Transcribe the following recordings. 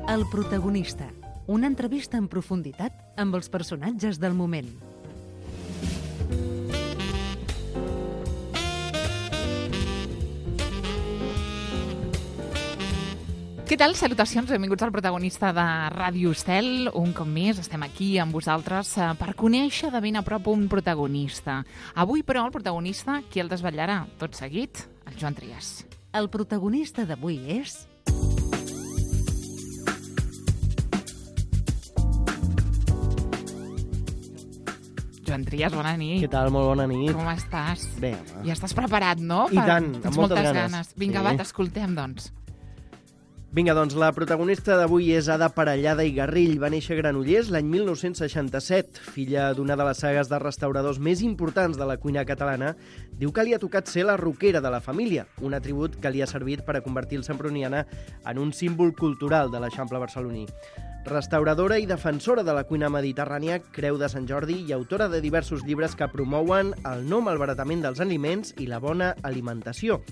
El protagonista. Una entrevista en profunditat amb els personatges del moment. Què tal? Salutacions, benvinguts al protagonista de Ràdio Estel. Un cop més estem aquí amb vosaltres per conèixer de ben a prop un protagonista. Avui, però, el protagonista, qui el desvetllarà? Tot seguit, el Joan Trias. El protagonista d'avui és... Joan Trias, bona nit. Què tal? Molt bona nit. Com estàs? Bé, home. Ja estàs preparat, no? I tant, Tens amb moltes ganes. Vinga, Sí. va, t'escoltem, doncs. Vinga, doncs, la protagonista d'avui és Ada Parellada i Garrill. Va néixer a Granollers l'any 1967. Filla d'una de les sagues de restauradors més importants de la cuina catalana, diu que li ha tocat ser la roquera de la família, un atribut que li ha servit per a convertir el semproniana en un símbol cultural de l'Eixample barceloní. Restauradora i defensora de la cuina mediterrània, Creu de Sant Jordi i autora de diversos llibres que promouen el no malbaratament dels aliments i la bona alimentació.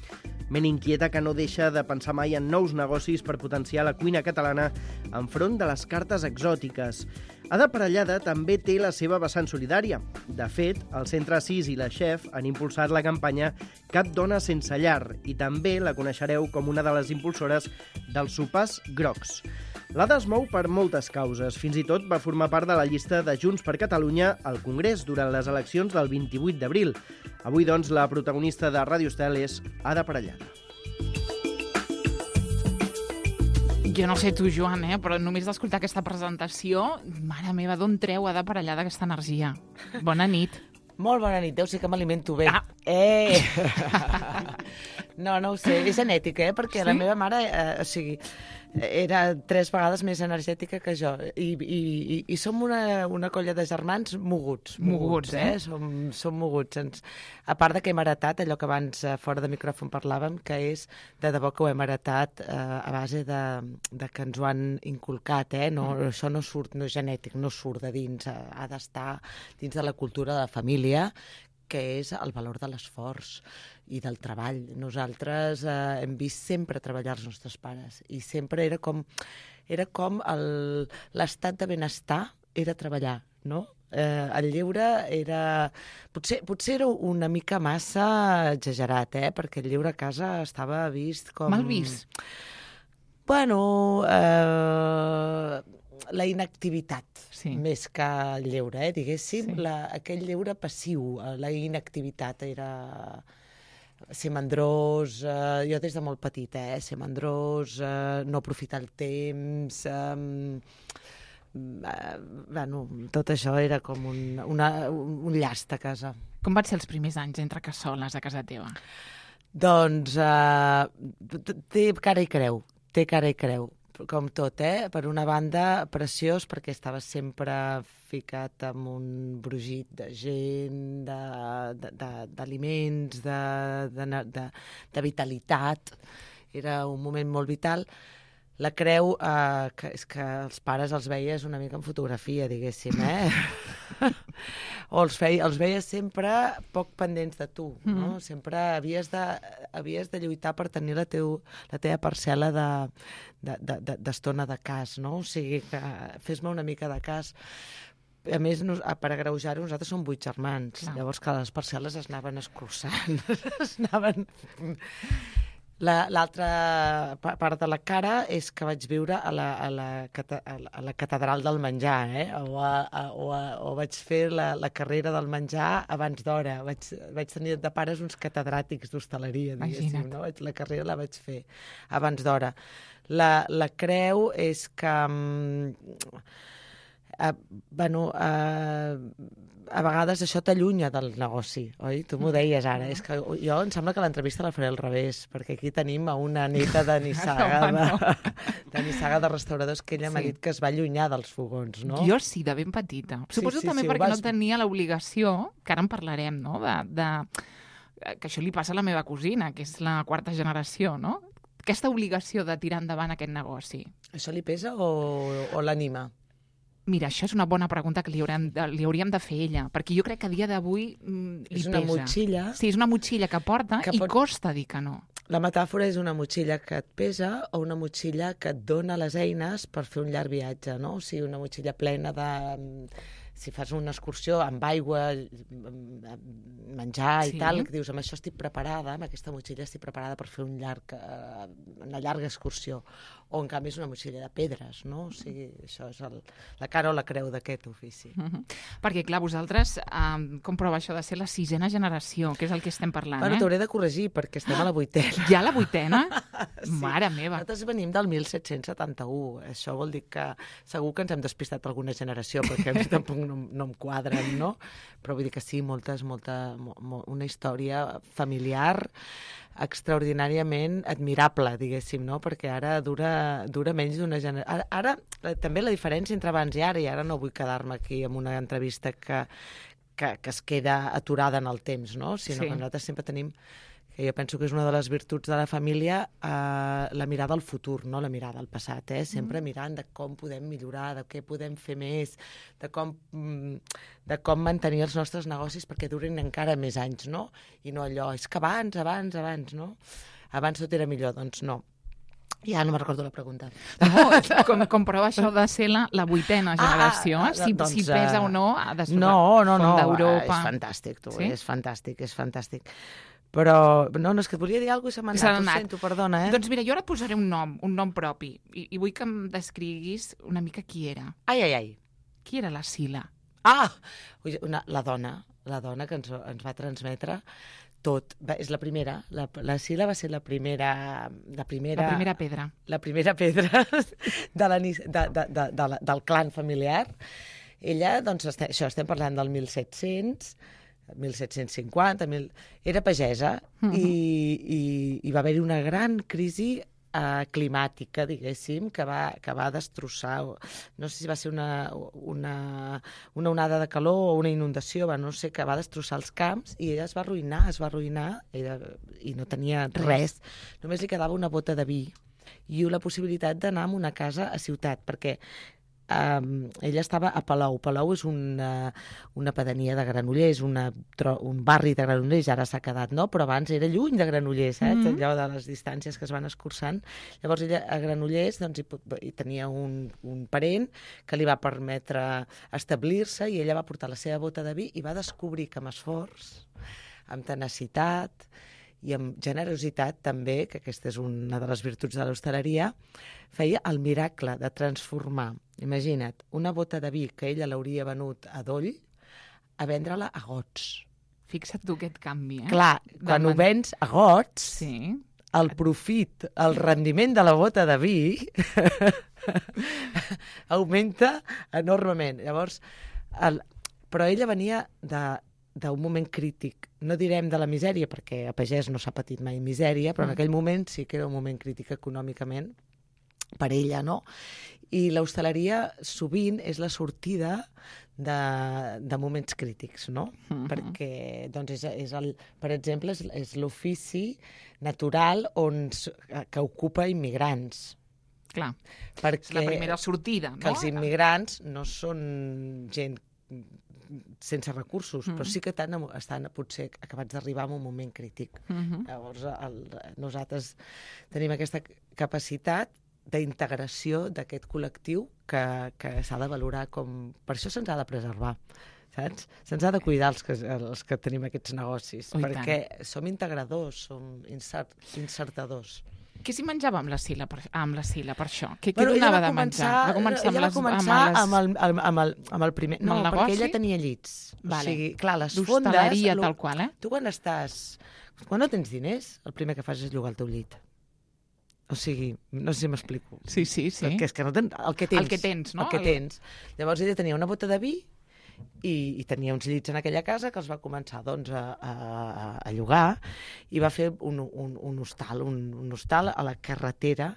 Ment inquieta que no deixa de pensar mai en nous negocis per potenciar la cuina catalana enfront de les cartes exòtiques. Ada Parellada també té la seva vessant solidària. De fet, el Centre Assís i la Chef han impulsat la campanya Cap dona sense llar i també la coneixereu com una de les impulsores dels sopars grocs. L'Ada es mou per moltes causes. Fins i tot va formar part de la llista de Junts per Catalunya al Congrés durant les eleccions del 28 d'abril. Avui, doncs, la protagonista de Ràdio Estel és Ada Parellada. Jo no sé tu, Joan, però només d'escoltar aquesta presentació, mare meva, d'on treu Ada Parellada aquesta energia? Bona nit. Molt bona nit, deu ser que m'alimento bé. Ah. No ho sé, és genètic, perquè la meva mare, era 3 vegades més energètica que jo. I som una colla de germans moguts. Moguts, eh? Som moguts. A part de que hem heretat allò que abans fora de micròfon parlàvem, que és de debò que ho hem heretat a base de que ens ho han inculcat, No, això no surt, no és genètic, no surt de dins, ha d'estar dins de la cultura de la família, que és el valor de l'esforç i del treball. Nosaltres hem vist sempre treballar els nostres pares i sempre era com l'estat de benestar era treballar, no? El lleure era... Potser era una mica massa exagerat, perquè el lleure a casa estava vist com... Mal vist. Bueno, la inactivitat, més que el lleure, diguéssim. Sí. Aquell lleure passiu, la inactivitat era ser mandrós, jo des de molt petit, ser mandrós, no aprofitar el temps... tot això era com un llast a casa. Com van ser els primers anys entre cassoles a casa teva? Doncs té cara i creu, com tot, Per una banda, preciós, perquè estava sempre ficat amb un brogit de gent, d'aliments, de vitalitat. Era un moment molt vital. La creu, que és que els pares els veies una mica en fotografia, diguéssim, o els veies sempre poc pendents de tu, no? Sempre havies de lluitar per tenir la teva parcel·la d'estona de cas, no? O sigui, que fes-me una mica de cas. A més, per agreujar-ho, nosaltres som 8 germans. Clar. Llavors, que les parcel·les es anaven escurçant, L'altra part de la cara és que vaig viure a la catedral del menjar, o vaig fer la carrera del menjar abans d'hora. Vaig tenir de pares uns catedràtics d'hostaleria, diguéssim, no? La carrera la vaig fer abans d'hora. La creu és que... a vegades això t'allunya del negoci, oi? Tu m'ho deies ara. És que jo em sembla que l'entrevista la faré al revés, perquè aquí tenim a una neta de Nissaga, de Nissaga de restauradors, que ella m'ha dit que es va allunyar dels fogons, no? Jo sí, de ben petita. Suposo també perquè no tenia l'obligació, que ara en parlarem, no?, que això li passa a la meva cosina, que és la 4ª generació, no? Aquesta obligació de tirar endavant aquest negoci. Això li pesa o l'anima? Mira, això és una bona pregunta que li hauríem de fer ella, perquè jo crec que a dia d'avui li pesa. És una motxilla. Sí, és una motxilla que porta i costa dir que no. La metàfora és una motxilla que et pesa o una motxilla que et dona les eines per fer un llarg viatge, no? O sigui, una motxilla plena de... Si fas una excursió amb aigua, menjar i tal, que dius, amb això estic preparada, amb aquesta motxilla estic preparada per fer una llarga excursió. O, en canvi, és una motxilla de pedres, no? O sigui, això és la cara o la creu d'aquest ofici. Perquè, clar, vosaltres, com prova això de ser la 6ª generació, que és el que estem parlant, Bueno, t'hauré de corregir, perquè estem a la 8ª. Ja la 8ª? Sí. Mare meva. Nosaltres venim del 1771. Això vol dir que segur que ens hem despistat alguna generació, perquè a mi tampoc no em quadren, no? Però vull dir que sí, una història familiar extraordinàriament admirable, diguéssim, no? Perquè ara dura menys d'una generació. Ara, també la diferència entre abans i ara no vull quedar-me aquí amb una entrevista que es queda aturada en el temps, no? Sinó que nosaltres sempre tenim, que jo penso que és una de les virtuts de la família, la mirada al futur, no la mirada al passat, sempre mirant de com podem millorar, de què podem fer més, de com mantenir els nostres negocis perquè durin encara més anys, no? I no allò, és que abans, no? Abans tot era millor, doncs no. Ja no me'n recordo la pregunta. No, com prova això de ser la 8ª generació, si pesa o no després d'Europa. És fantàstic, tu, és fantàstic. Però, no, és que et volia dir alguna cosa i se m'ha anat, ho sento, perdona, Doncs mira, jo ara et posaré un nom propi, i vull que em descriguis una mica qui era. Ai. Qui era la Sila? La dona que ens va transmetre tot. És la primera. La Sila va ser la primera pedra. La primera pedra del clan familiar. Ella, doncs, això estem parlant del 1750, era pagesa i va haver-hi una gran crisi climàtica, diguéssim, que va destrossar, no sé si va ser una onada de calor o una inundació, no sé, que va destrossar els camps i ella es va arruïnar i no tenia res. Només li quedava una bota de vi i la possibilitat d'anar a una casa a ciutat, perquè ella estava a Palou. Palou és una pedania de Granollers, un barri de Granollers, ara s'ha quedat, no? Però abans era lluny de Granollers, allò de les distàncies que es van escurçant. Llavors ella a Granollers hi tenia un parent que li va permetre establir-se i ella va portar la seva bota de vi i va descobrir que amb esforç, amb tenacitat i amb generositat també, que aquesta és una de les virtuts de l'hostaleria, feia el miracle de transformar, imagina't, una bota de vi que ella l'hauria venut a doll, a vendre-la a gots. Fixa't tu aquest canvi, Clar, quan ho vens a gots, el profit, el rendiment de la bota de vi augmenta enormement. Llavors, però ella venia d'un moment crític, no direm de la misèria, perquè a pagès no s'ha patit mai misèria, però en aquell moment sí que era un moment crític econòmicament per ella, no? I l'hostaleria sovint és la sortida de moments crítics, no? Perquè, doncs, per exemple, és l'ofici natural que ocupa immigrants. Clar, perquè és la primera sortida, no? Que els immigrants no són gent sense recursos, però sí que estan potser acabats d'arribar en un moment crític. Llavors, nosaltres tenim aquesta capacitat d'integració d'aquest col·lectiu que s'ha de valorar com... Per això se'ns ha de preservar, saps? Se'ns ha de cuidar els que tenim aquests negocis, perquè som integradors, som insertadors. Què s'hi menjava amb la Sila per això? Què donava de menjar? Ella va començar amb el primer... No, perquè ella tenia llits. O sigui, clar, les fondes... D'hostaleria tal qual, Tu quan no tens diners, el primer que fas és llogar el teu llit. O sigui, no sé si m'explico. Sí. Perquè és que no tens... El que tens, no? El que tens. Llavors ella tenia una bota de vi i tenia uns llits en aquella casa que els va començar doncs, a llogar i va fer un hostal a la carretera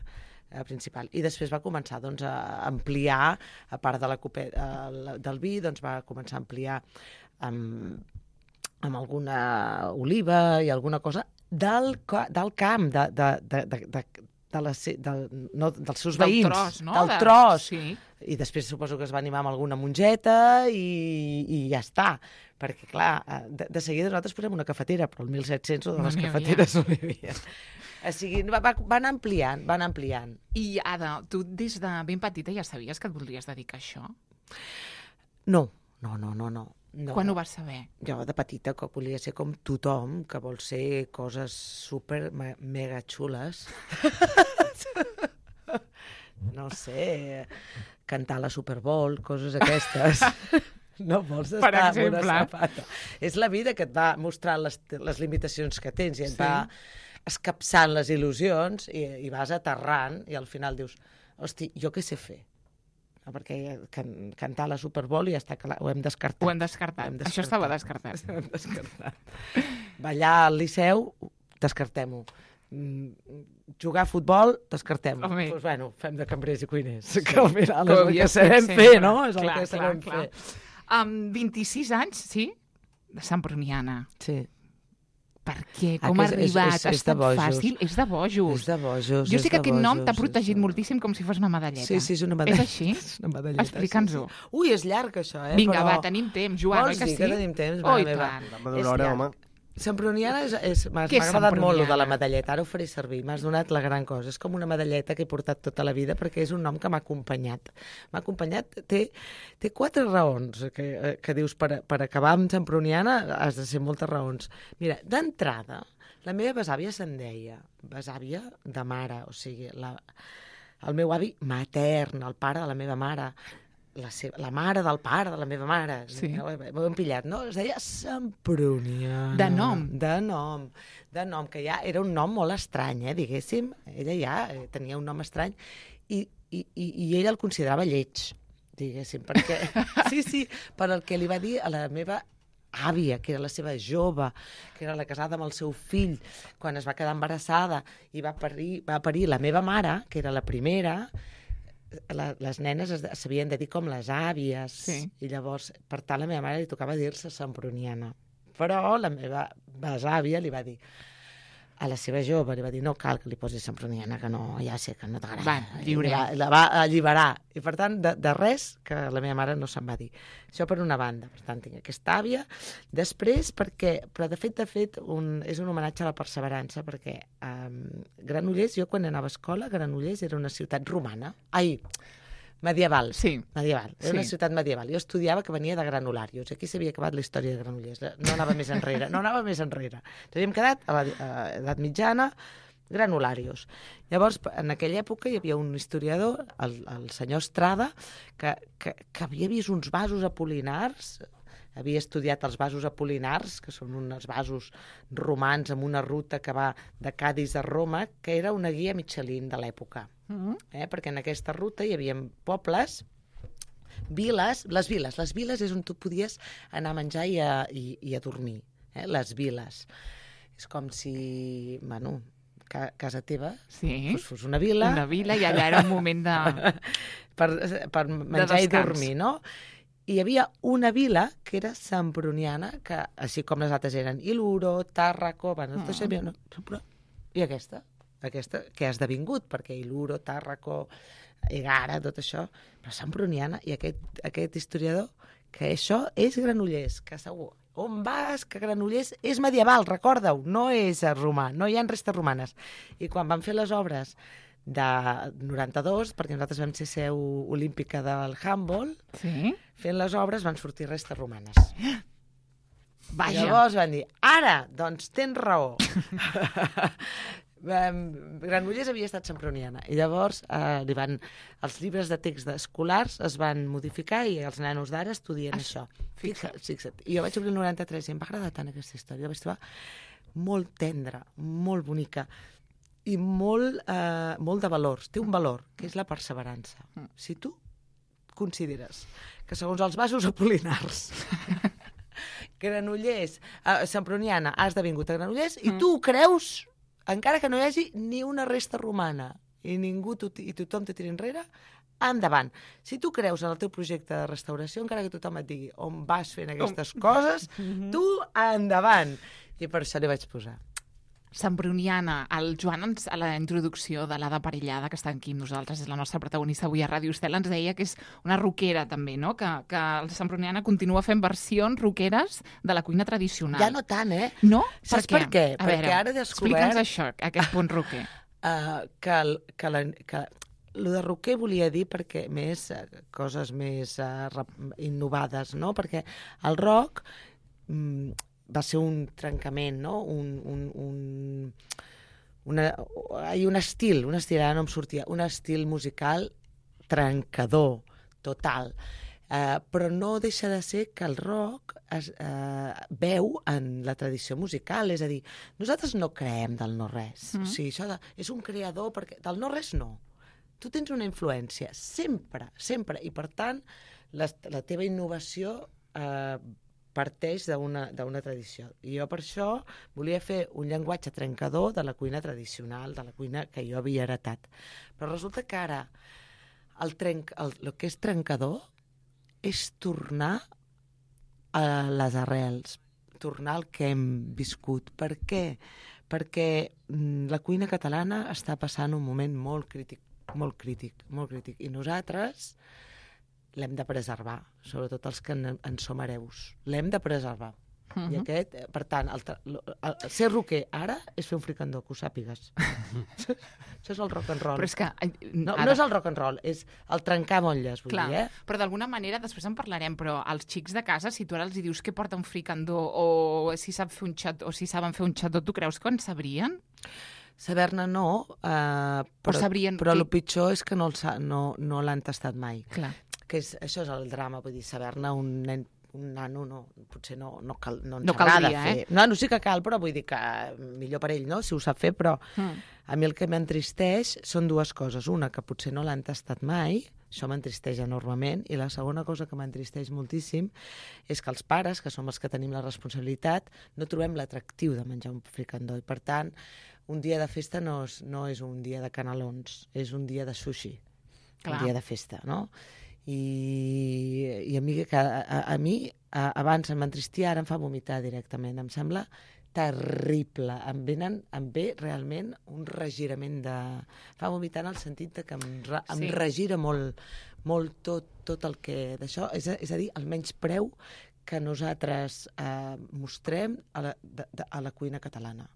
principal. I després va començar doncs, a ampliar, a part de del vi, doncs, va començar a ampliar amb alguna oliva i alguna cosa del camp, dels seus veïns. Del tros, no? Del tros. Sí. I després suposo que es va animar amb alguna mongeta i ja està. Perquè, clar, de seguida nosaltres posem una cafetera, però el 1700 de les cafeteres no hi havia. O sigui, van ampliant. I, Ada, tu des de ben petita ja sabies que et voldries dedicar a això? No. Quan ho vas saber? Jo de petita que volia ser com tothom, que vol ser coses super mega xules. No sé, cantar a la Super Bowl, coses aquestes. No vols estar amb una sapata. És la vida que et va mostrar les limitacions que tens i et va escapçant les il·lusions i vas aterrant i al final dius, hosti, jo què sé fer? Perquè cantar a la Super Bowl ja està clar, ho hem descartat. Ho hem descartat. Això estava descartat. Ho hem descartat. Ballar al Liceu, descartem-ho. Jugar a futbol, descartem-ho. Doncs, bueno, fem de cambrers i cuiners, que al final és el que sabem fer, no? És el que sabem fer. 26 anys, sí? De Santbruniana. Sí. Per què? Com ha arribat? Ha estat fàcil? És de bojos. És de bojos. Jo sé que aquest nom t'ha protegit moltíssim com si fos una medalleta. Sí, és una medalleta. És així? És una medalleta. Explica'ns-ho. Ui, és llarg, això, Vinga, va, tenim temps, Joan, oi que sí? Vols dir que tenim temps? Oh, i tant. És llarg. Santbruniana m'ha agradat molt de la medalleta, ara ho faré servir, m'has donat la gran cosa. És com una medalleta que he portat tota la vida perquè és un nom que m'ha acompanyat. M'ha acompanyat, té 4 raons que dius per acabar amb Santbruniana has de ser moltes raons. Mira, d'entrada, la meva besàvia se'n deia, besàvia de mare, o sigui, el meu avi matern, el pare de la meva mare, la mare del pare de la meva mare. Sí. M'ho hem pillat, no? Es deia Santbruniana. De nom. De nom, que ja era un nom molt estrany, diguéssim. Ella ja tenia un nom estrany i ella el considerava lleig, diguéssim, perquè... Sí, per el que li va dir a la meva àvia, que era la seva jove, que era la casada amb el seu fill, quan es va quedar embarassada i va parir la meva mare, que era la primera. Les nenes s'havien de dir com les àvies, i llavors, per tant, la meva mare li tocava dir-se Santbruniana. Però la meva besàvia li va dir, a la seva jove, li va dir, no cal que li posis Santbruniana, que no, ja sé que no t'agrada. Va, lliure. La va alliberar. I, per tant, de res que la meva mare no se'n va dir. Això per una banda. Per tant, tinc aquesta àvia. Després, però de fet, és un homenatge a la perseverança, perquè Granollers, jo quan anava a escola, Granollers era una ciutat romana. Medieval. Sí. Medieval. Era una ciutat medieval. Jo estudiava que venia de Granularius. Aquí s'havia acabat la història de Granollers. No anava més enrere. Ens havíem quedat a l'edat mitjana, Granularius. Llavors, en aquella època hi havia un historiador, el senyor Estrada, que havia vist uns vasos apol·linars, havia estudiat els vasos apol·linars, que són uns vasos romans amb una ruta que va de Cadis a Roma, que era una guia Michelin de l'època. Perquè en aquesta ruta hi havia pobles, viles. Les viles és on tu podies anar a menjar i a dormir. Les viles. És com si, casa teva fos una vila. Una vila, i allà era un moment de... per menjar i dormir, no? I hi havia una vila que era Santbruniana, que així com les altres eren Iluro, Tàrraco... I aquesta que ha esdevingut, perquè Iluro, Tàrraco, Egara, tot això, però Santbruniana, i aquest historiador, que això és Granollers, que segur, on vas, que Granollers és medieval, recorda-ho, no és romà, no hi ha restes romanes. I quan van fer les obres de 92, perquè nosaltres vam ser seu olímpica del handball, fent les obres van sortir restes romanes. Vaja. Llavors van dir, ara, doncs tens raó. Granollers havia estat Santbruniana i llavors els llibres de text escolars es van modificar i els nanos d'ara estudien això. Fixa't. I jo vaig obrir el 93 i em va agradar tant aquesta història, la vaig trobar molt tendra, molt bonica i molt de valors. Té un valor, que és la perseverança. Si tu consideres que segons els vasos apol·linars Granollers, Santbruniana ha esdevingut a Granollers i tu ho creus, encara que no hi hagi ni una resta romana i tothom te tira enrere, endavant. Si tu creus en el teu projecte de restauració, encara que tothom et digui on vas fent aquestes coses, tu endavant. I per això li vaig posar Semproniana, el Joan a la introducció de l'Ada Parellada, que està aquí amb nosaltres, és la nostra protagonista avui a Ràdio Estel, ens deia que és una rockera també, no? Que el Semproniana continua fent versions rockeres de la cuina tradicional. Ja no tant, No? Saps per què? A Perquè veure, ara he descobert... explica'ns això, aquest punt rocker. Que lo de rocker volia dir perquè coses més innovades, no? Perquè el rock va ser un trencament, no? Un estil, ara no em sortia, un estil musical trencador, total. Però no deixa de ser que el rock es veu en la tradició musical, és a dir, nosaltres no creem del no-res. O sigui, això és un creador, perquè del no-res no. Tu tens una influència, sempre, sempre, i per tant la teva innovació parteix d'una tradició. I jo per això volia fer un llenguatge trencador de la cuina tradicional, de la cuina que jo havia heretat. Però resulta que ara el que és trencador és tornar a les arrels, tornar al que hem viscut. Per què? Perquè la cuina catalana està passant un moment molt crític, i nosaltres l'hem de preservar, sobretot els que en som hereus. L'hem de preservar. I per tant, ser rocker ara és fer un fricandó, que ho sàpigues. Això és el rock and roll. Però és que... No és el rock and roll, és el trencar motlles, vull dir, Però d'alguna manera, després en parlarem, però als xics de casa, si tu ara els dius que porta un fricandó o si sap fer un xat, o si saben fer un xató, tu creus que en sabrien? Saber-ne no, però el pitjor és que no l'han tastat mai. Clar. Això és el drama, vull dir, saber-ne un nano potser no ens agrada fer. No, sí que cal, però vull dir que millor per ell, no?, si ho sap fer, però a mi el que m'entristeix són dues coses. Una, que potser no l'han tastat mai, això m'entristeix enormement, i la segona cosa que m'entristeix moltíssim és que els pares, que som els que tenim la responsabilitat, no trobem l'atractiu de menjar un fricandó, i per tant, un dia de festa no és un dia de canelons, és un dia de sushi, un dia de festa, no? I a mi abans m'entristia, ara em fa vomitar directament. Em sembla terrible. Em ve realment un regirament de... Fa vomitar en el sentit que em regira molt tot el que d'això. És a dir, el menyspreu que nosaltres mostrem a la cuina catalana.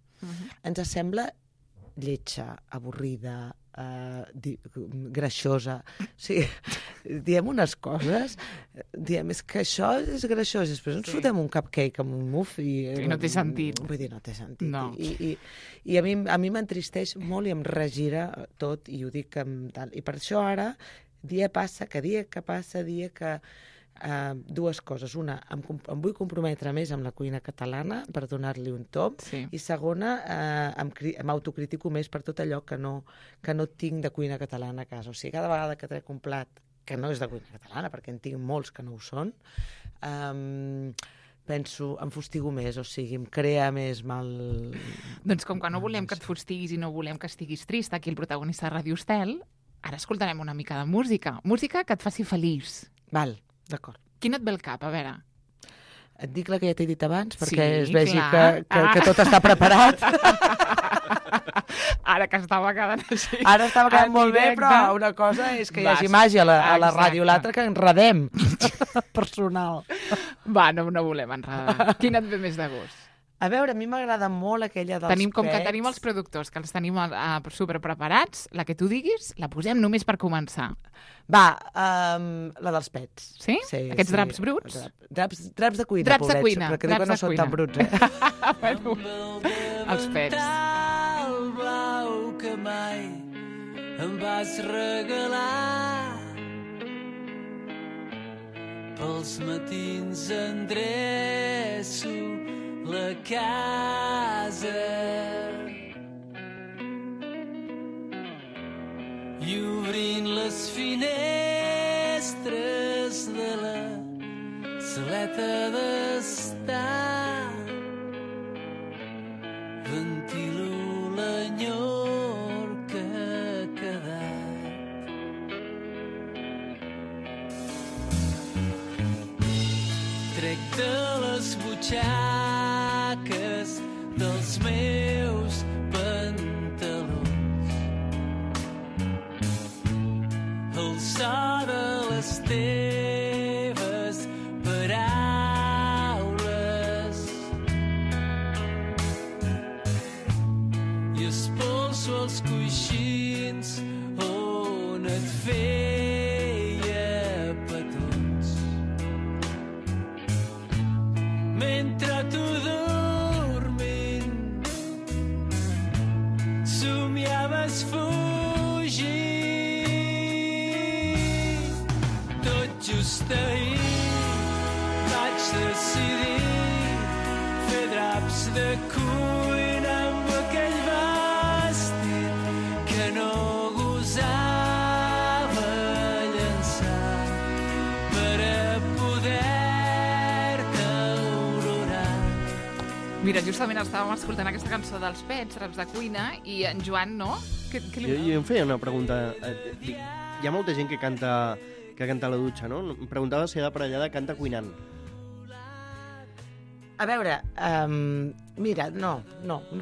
Ens sembla lletja, avorrida, greixosa. O sigui, diem unes coses, és que això és greixós, després ens fotem un cupcake amb un muff i no té sentit. Vull dir, no té sentit. No. I a mi m'entristeix molt i em regira tot, i ho dic amb tal. I per això ara, dia que passa, dues coses. Una, em vull comprometre més amb la cuina catalana per donar-li un top, i segona, m'autocritico més per tot allò que no tinc de cuina catalana a casa. O sigui, cada vegada que trec un plat que no és de cuina catalana, perquè en tinc molts que no ho són, penso, em fustigo més, o sigui, em crea més mal... Doncs com que no volem que et fustiguis i no volem que estiguis trist, aquí el protagonista de Ràdio Estel, ara escoltarem una mica de música. Música que et faci feliç. Val, d'acord. Quin et ve al cap? A veure... Et dic la que ja t'he dit abans, perquè es vegi que tot està preparat. Ara que estava quedant així. Ara estava quedant molt bé, però una cosa és que hi hagi màgia a la ràdio, l'altra que enredem. Personal. Va, no volem enredar. Quin et ve més de gust? A veure, a mi m'agrada molt aquella dels pets. Com que tenim els productors, que els tenim superpreparats, la que tu diguis, la posem només per començar. Va, la dels pets. Sí? Aquests draps bruts? Draps de cuina, pobrets, perquè diu que no són tan bruts, Bueno, els pets. El blau que mai em vas regalar, pels matins endreço la casa i obrint les finestres de la saleta d'estar ventilo l'enyor que ha quedat. Trec de les butxaques dels meus i espolso els coixins on et feia petons. Mentre tu dormint somiaves fugir. Tot just ahir vaig decidir fer draps de cuina amb aquell vestit que no gosava llançar per a poder-te aurorar. Mira, justament estàvem escoltant aquesta cançó dels Pets, Draps de cuina, i en Joan, no? Què li... Jo em feia una pregunta. Hi ha molta gent que canta a la dutxa, no? Em preguntava si d'aparellada canta cuinant. A veure, mira, no.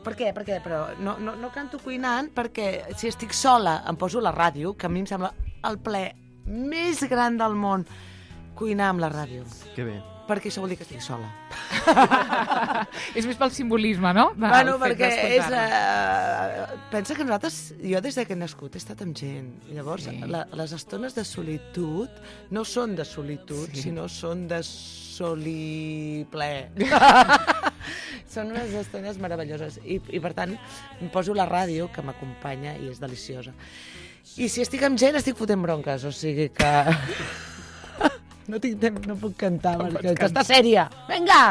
Per què? Però no canto cuinant perquè si estic sola em poso la ràdio, que a mi em sembla el plaer més gran del món cuinar amb la ràdio. Que bé. Perquè això vol dir que estic sola. És més pel simbolisme, no? Bueno, perquè és... pensa que nosaltres, jo des que he nascut he estat amb gent. Llavors, Sí. les estones de solitud no són de solitud, sinó són de soliplaer. Són unes estones meravelloses. I per tant, em poso la ràdio, que m'acompanya i és deliciosa. I si estic amb gent, estic fotent bronques. O sigui que... No tinc temps, no puc cantar, perquè està sèria. Vinga!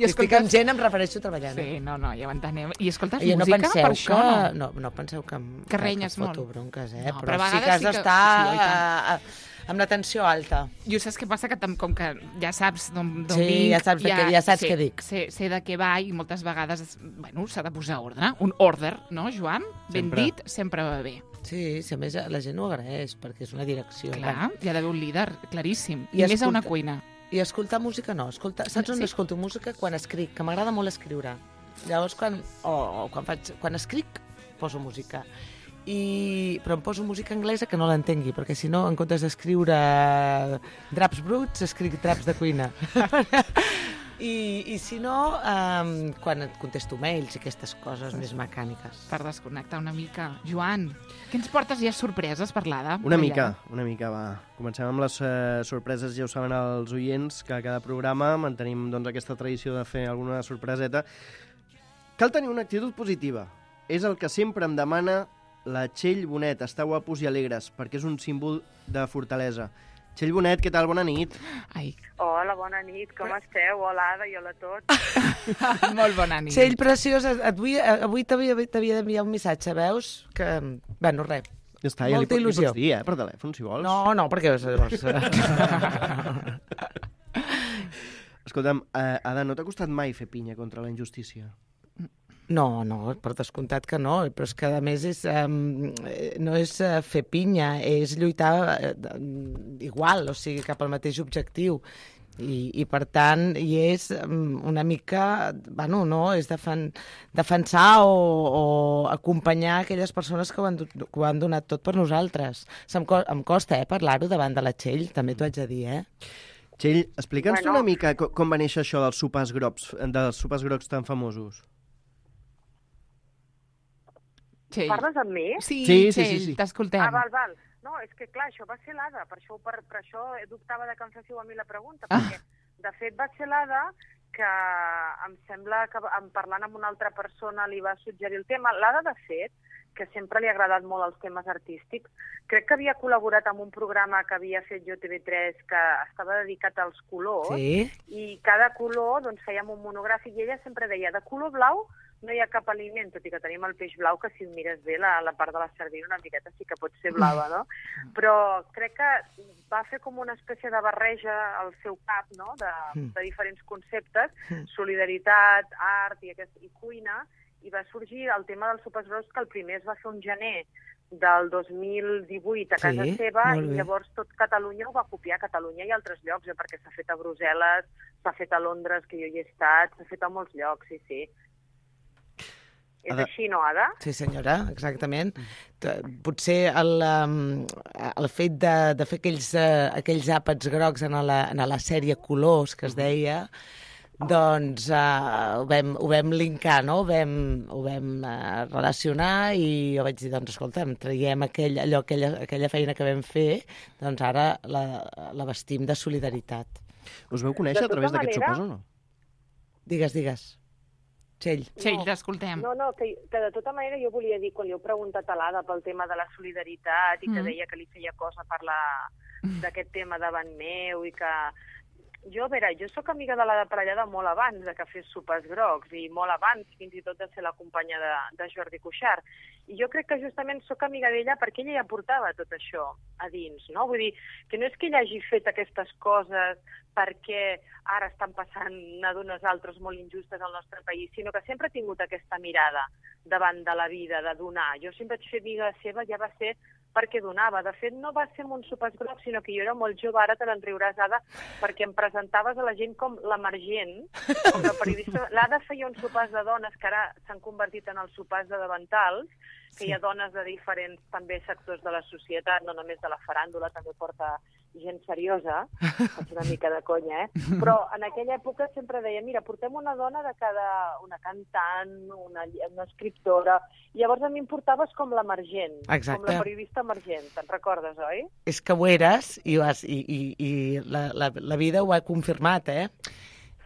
I estic amb gent, em refereixo treballant. Sí, no, ja ho entenem. I escoltes I no música penseu per això, no? No penseu que renyes molt. foto bronques, No, però però a sí que vegades has sí que- d'estar sí, oi tant. amb la tensió alta. Jo saps què passa? Que com que ja saps d'on Sí, vinc... ja saps què dic. Sé de què va i moltes vegades, bueno, s'ha de posar ordre. Un order, no, Joan? Ben Sempre. dit, sempre va bé. Sí, si a més la gent ho agraeix, perquè és una direcció. Clar, hi ha d'haver un líder, claríssim. I I més a una escolta- cuina. I escoltar música no. Saps on Sí. escolto música? Quan escric, que m'agrada molt escriure. Llavors, quan escric, poso música. Però em poso música anglesa que no l'entengui, perquè si no, en comptes d'escriure draps bruts, escric draps de cuina. I si no, quan et contesto mails i aquestes coses més mecàniques. Per desconnectar una mica. Joan, què ens portes ja sorpreses per l'Ada? Una mica, va. Comencem amb les sorpreses, ja ho saben els oients, que a cada programa mantenim doncs, aquesta tradició de fer alguna sorpreseta. Cal tenir una actitud positiva. És el que sempre em demana la Txell Bonet. Estar guapos i alegres, perquè és un símbol de fortalesa. Txell Bonet, què tal? Bona nit. Ai, Hola, bona nit, com esteu? Hola, Ada, i hola a tots. molt bona nit. Txell, preciós, avui t'havia d'enviar un missatge, veus? Que, bueno, res. Ja està, Molta li il·lusió. pots dir, per telèfon, si vols. No, perquè llavors... Escolta'm, Ada, no t'ha costat mai fer pinya contra la injustícia? No, per descomptat que no, però és que a més no és fer pinya, és lluitar igual, o sigui, cap al mateix objectiu. I per tant, és una mica, bueno, no, és defensar o acompanyar aquelles persones que ho han donat tot per nosaltres. Em costa, parlar-ho davant de la Txell, també t'ho haig de dir, Txell, explica'ns Bueno. una mica com va néixer això dels sopars grocs tan famosos. Txell. Parles amb mi? Sí, Sí, Txell, sí. t'escoltem. Val. No, és que clar, això va ser l'Ada, per això dubtava de que em féssiu a mi la pregunta, perquè de fet va ser l'Ada que em sembla que parlant amb una altra persona li va suggerir el tema. L'Ada, de fet, que sempre li ha agradat molt els temes artístics, crec que havia col·laborat amb un programa que havia fet jo TV3 que estava dedicat als colors, Sí? i cada color doncs, fèiem un monogràfic i ella sempre deia de color blau no hi ha cap aliment, tot i que tenim el peix blau que si el mires bé la part de la sardina una miqueta sí que pot ser blava, no? Però crec que va fer com una espècie de barreja al seu cap, no?, de diferents conceptes, solidaritat, art i cuina, i va sorgir el tema dels sopars grocs, que el primer es va fer un gener del 2018 a casa Sí, seva, molt bé. i llavors tot Catalunya ho va copiar, Catalunya i altres llocs, perquè s'ha fet a Brussel·les, s'ha fet a Londres, que jo hi he estat, s'ha fet a molts llocs, sí. És Ada. així, no, Ada? Sí, senyora, exactament. Potser el fet de fer aquells àpats grocs en la sèrie Colors, que es deia, Doncs ho vam linkar, no? Ho vam relacionar i jo vaig dir, doncs escolta'm, traiem aquella feina que vam fer, doncs ara la vestim de solidaritat. Us veu conèixer a través d'aquest sopars o no? Digues. Txell. Txell, t'escoltem. No, que de tota manera jo volia dir, quan li heu preguntat a l'Ada pel tema de la solidaritat i que deia que li feia cosa parlar d'aquest tema davant meu i que... Jo, a veure, jo sóc amiga de l'Ada Parellada molt abans de que fes Sopars Grocs i molt abans fins i tot de ser la companya de Jordi Cuixart. I jo crec que justament sóc amiga d'ella perquè ella ja portava tot això a dins, no? Vull dir, que no és que ella hagi fet aquestes coses perquè ara estan passant a d'unes altres molt injustes al nostre país, sinó que sempre ha tingut aquesta mirada davant de la vida, de donar. Jo sempre vaig ser amiga seva, ja va ser perquè donava. De fet, no va ser amb un Sopars Grocs, sinó que jo era molt jove, ara te n'enriuràs, Ada, perquè em presentaves a la gent com l'emergent, com la periodista. L'Ada feia uns sopars de dones que ara s'han convertit en els sopars de davantals, que hi ha dones de diferents també sectors de la societat, no només de la faràndula, també porta gent seriosa, és una mica de conya, però en aquella època sempre deia, mira, portem una dona de una cantant, una escriptora, i llavors a mi em portaves com l'emergent, com la periodista emergent, te'n recordes, oi? És que ho eres i la vida ho ha confirmat,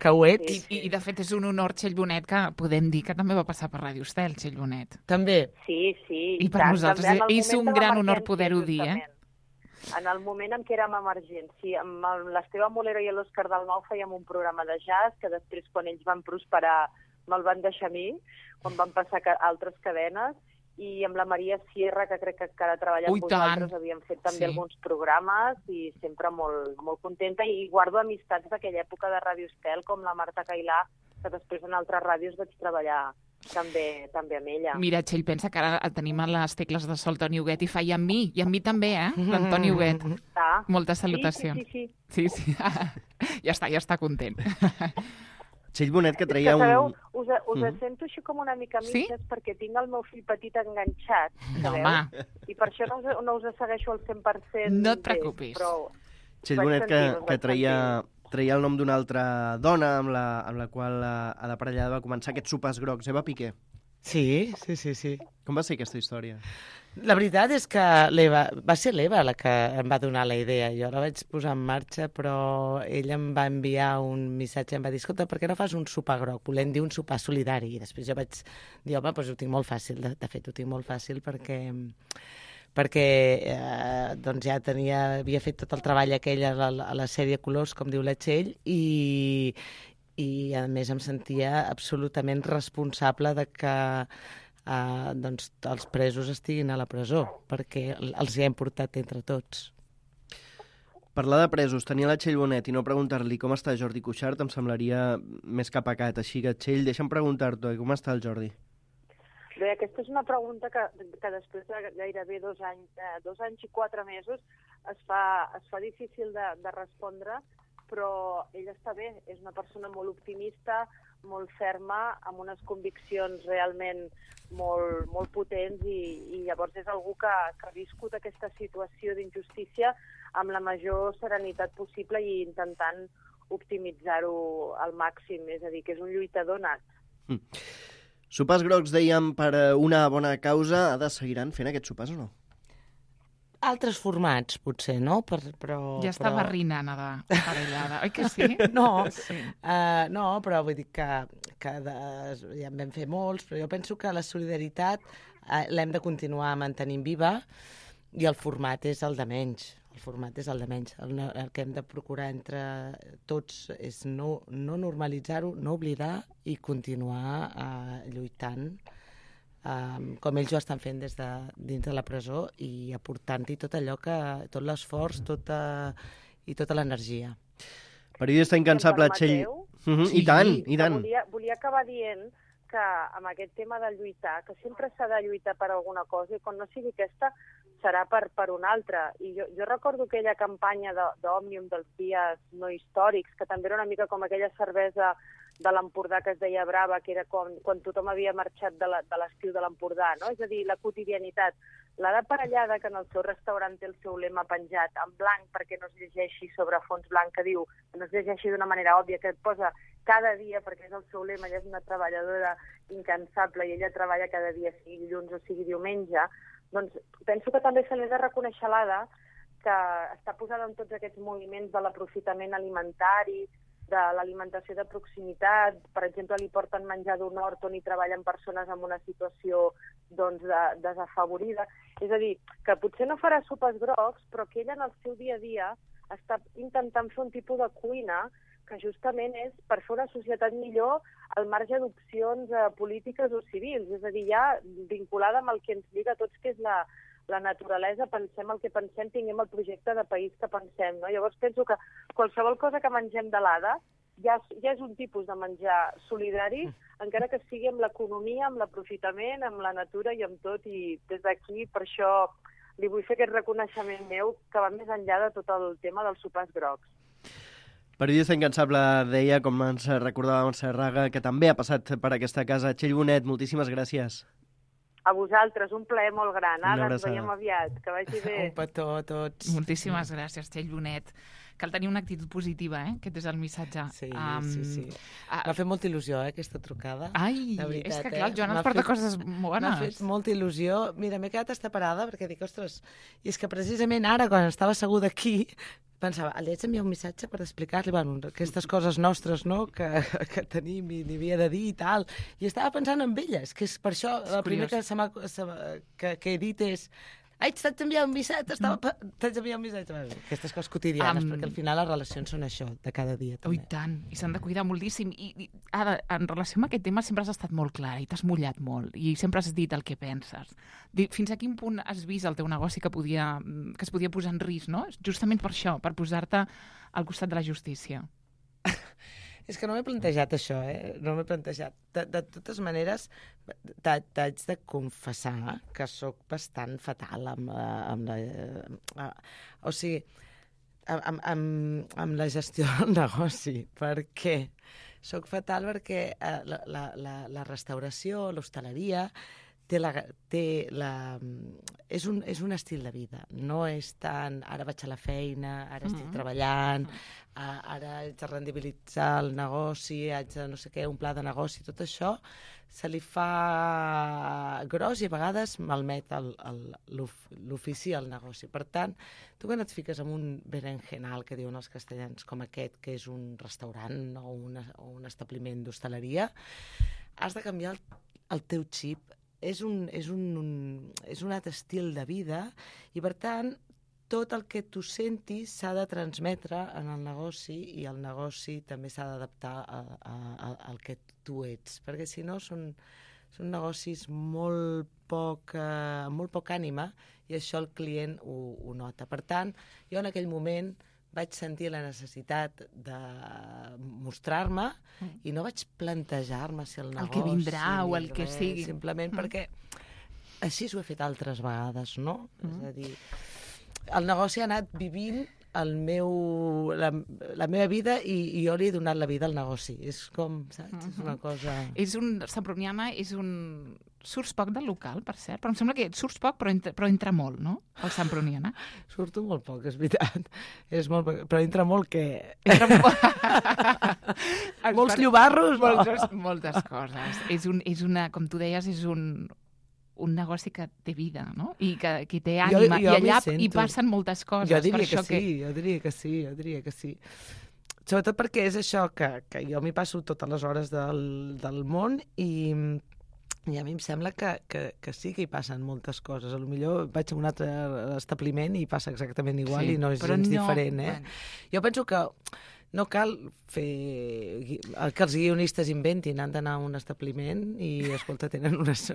que ho ets. I de fet és un honor, Txell Bonet, que podem dir que també va passar per Ràdio Estel, Txell Bonet. També. Sí. I per nosaltres és un gran honor poder-ho dir, En el moment en què érem emergents, sí, amb l'Esteve Molero i l'Òscar Dalmau fèiem un programa de jazz que després, quan ells van prosperar, me'l van deixar a mi, quan van passar a altres cadenes, i amb la Maria Sierra, que crec que ara treballa amb vosaltres, havíem fet també alguns programes i sempre molt, molt contenta, i guardo amistats d'aquella època de Ràdio Estel, com la Marta Cailà, que després en altres ràdios vaig treballar també amb ella. Mira, Txell, pensa que ara tenim a les tecles de sol Toni Huguet i fa i amb mi també, l'Antoni Huguet. Moltes salutacions. Sí. Ja està content. Txell Bonet, que traia un... Sabeu, us sento així com una mica mitges perquè tinc el meu fill petit enganxat, sabeu? I per això no us segueixo al 100%. No et preocupis. Txell Bonet, que traia el nom d'una altra dona amb la qual Ada Parellada va començar aquests Sopars Grocs, Eva Piqué. Sí. Com va ser aquesta història? La veritat és que va ser l'Eva la que em va donar la idea. Jo la vaig posar en marxa, però ella em va enviar un missatge, em va dir, escolta, per què no fas un sopar groc? Volem dir un sopar solidari. I després jo vaig dir, home, doncs ho tinc molt fàcil. De fet, ho tinc molt fàcil perquè doncs ja havia fet tot el treball aquell a la sèrie Colors, com diu la Txell, i a més em sentia absolutament responsable de que doncs, els presos estiguin a la presó, perquè els hi hem portat entre tots. Parlar de presos, tenir la Txell Bonet i no preguntar-li com està Jordi Cuixart em semblaria més que pecat. Així que, Txell, deixa'm preguntar-te com està el Jordi. Bé, aquesta és una pregunta que després de gairebé 2 anys i 4 mesos es fa difícil de respondre, però ell està bé, és una persona molt optimista, molt ferma, amb unes conviccions realment molt, molt potents i llavors és algú que ha viscut aquesta situació d'injustícia amb la major serenitat possible i intentant optimitzar-ho al màxim, és a dir, que és un lluitador nat. Sopars Grocs, dèiem, per una bona causa. Ada, seguiran fent aquests sopars o no? Altres formats, potser, no? Però ja està barrinant, Ada Parellada, oi que sí? No, no, però vull dir que ja en vam fer molts, però jo penso que la solidaritat l'hem de continuar mantenint viva i el format és el de menys. El que hem de procurar entre tots és no normalitzar-ho, no oblidar i continuar lluitant com ells ho estan fent des de dins de la presó i aportant-hi tot allò tot l'esforç i tota l'energia. Periodista incansable, Txell. I tant. Volia acabar dient que amb aquest tema de lluitar, que sempre s'ha de lluitar per alguna cosa i quan no sigui aquesta serà per una altra. I jo recordo aquella campanya d'Òmnium dels dies no històrics, que també era una mica com aquella cervesa de l'Empordà que es deia Brava, que era quan tothom havia marxat de l'estiu de l'Empordà, no? És a dir, la quotidianitat. La Parellada, que en el seu restaurant té el seu lema penjat en blanc perquè no es llegeixi sobre fons blanc, que diu, no es llegeixi d'una manera òbvia, que et posa cada dia, perquè és el seu lema, ella és una treballadora incansable i ella treballa cada dia, sigui dilluns o sigui diumenge, doncs penso que també se li ha de reconèixer l'Ada, que està posada en tots aquests moviments de l'aprofitament alimentari, de l'alimentació de proximitat. Per exemple, li porten menjar d'un hort on hi treballen persones en una situació doncs, desafavorida. És a dir, que potser no farà sopes grocs, però que ella en el seu dia a dia està intentant fer un tipus de cuina que justament és per fer una societat millor al marge d'opcions polítiques o civils. És a dir, ja vinculada amb el que ens lliga a tots, que és la naturalesa, pensem el que pensem, tinguem el projecte de país que pensem, no? Llavors penso que qualsevol cosa que mengem de l'Ada ja és un tipus de menjar solidari, encara que sigui amb l'economia, amb l'aprofitament, amb la natura i amb tot, i des d'aquí per això li vull fer aquest reconeixement meu que va més enllà de tot el tema dels sopars grocs. Periodista incansable, deia, com ens recordava Montserraga, que també ha passat per aquesta casa. Txell Bonet, moltíssimes gràcies. A vosaltres, un plaer molt gran. Una Ara ens abraçada. veiem aviat. Que vagi bé. Un petó a tots. Moltíssimes gràcies, Txell Bonet. Cal tenir una actitud positiva, Aquest és el missatge. Sí. M'ha fet molta il·lusió, aquesta trucada. Ai, De veritat, és que clar, el Joan ens M'ha porta fet- coses M'ha bones. fet molta il·lusió. Mira, m'he quedat estaparada perquè dic, ostres, i és que precisament ara, quan estava asseguda aquí, pensava, li haig d'enviar un missatge per explicar-li aquestes coses nostres, no?, que tenim i li havia de dir i tal. I estava pensant en elles, que és per això, el primer que he dit és ai, t'haig d'enviar un missatge, t'haig d'enviar un missatge. Aquestes coses quotidianes, perquè al final les relacions són això, de cada dia. Oh, i També. tant, i s'han de cuidar moltíssim. I ara, en relació amb aquest tema, sempre has estat molt clara i t'has mullat molt i sempre has dit el que penses. Fins a quin punt has vist el teu negoci que es podia posar en risc, no? Justament per això, per posar-te al costat de la justícia. És que no m'he plantejat això, no m'he plantejat. De totes maneres, t'haig de confessar que sóc bastant fatal amb la gestió del negoci. Per què? Soc fatal perquè la restauració, l'hostaleria, és un estil de vida. No és tant, ara vaig a la feina, ara estic treballant, ara haig de rendibilitzar el negoci, haig de no sé què, un pla de negoci, tot això se li fa gros i a vegades malmet l'ofici al negoci. Per tant, tu quan et fiques en un berenjenal, que diuen els castellans, com aquest, que és un restaurant o un establiment d'hostaleria, has de canviar el teu xip. És un altre estil de vida i, per tant, tot el que tu sentis s'ha de transmetre en el negoci i el negoci també s'ha d'adaptar al que tu ets, perquè si no són negocis amb molt poc ànima i això el client ho nota. Per tant, jo en aquell moment vaig sentir la necessitat de mostrar-me i no vaig plantejar-me si el negoci... El que vindrà o el que sigui. Simplement perquè així ho he fet altres vegades, no? És a dir, el negoci ha anat vivint la meva vida i jo li he donat la vida al negoci. És com, saps? És una cosa... Semproniana surts poc del local, per cert, però em sembla que surts poc, però entra molt, no? El Semproniana. Surto molt poc, és veritat. És molt poc, però entra molt que... Molts llobarros, no? Moltes coses. Com tu deies, és un negoci que té vida, no? I que té ànima. I allà hi passen moltes coses. Jo diria que sí. Sobretot perquè és això, que jo m'hi passo totes les hores del món i a mi em sembla que sí que hi passen moltes coses. Potser vaig a un altre establiment i passa exactament igual i no és gens diferent. Jo penso que no cal fer que els guionistes inventin, han d'anar a un establiment i, escolta, tenen unes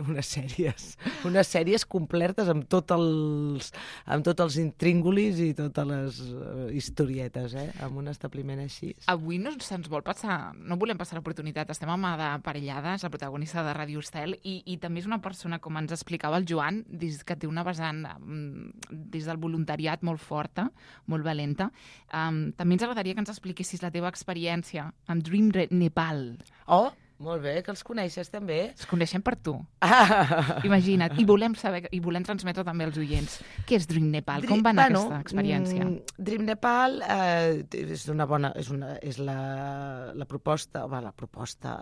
sèries completes amb tots els intríngulis i totes les historietes, amb un establiment així. Avui no volem passar l'oportunitat, estem amb Ada Parellada, la protagonista de Ràdio Estel, i també és una persona, com ens explicava el Joan, que té una vessant des del voluntariat molt forta, molt valenta. També ens agradaria que ens expliqués expliquessis la teva experiència amb Dream Nepal. Oh, molt bé, que els coneixes també. Es coneixem per tu. Imagina't. I volem saber, i volem transmetre també als oients. Què és Dream Nepal? Com va anar aquesta experiència? Dream Nepal és la proposta,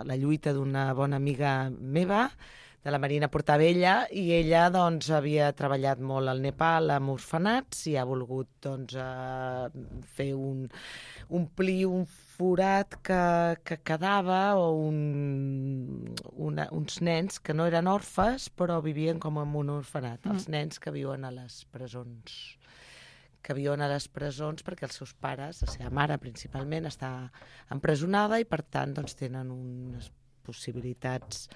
la lluita d'una bona amiga meva, de la Marina Portabella, i ella doncs, havia treballat molt al Nepal amb orfenats i ha volgut doncs, fer omplir un forat que quedava o uns nens que no eren orfes però vivien com en un orfenat, els nens que viuen a les presons perquè els seus pares, la seva mare principalment, està empresonada i per tant doncs, tenen unes possibilitats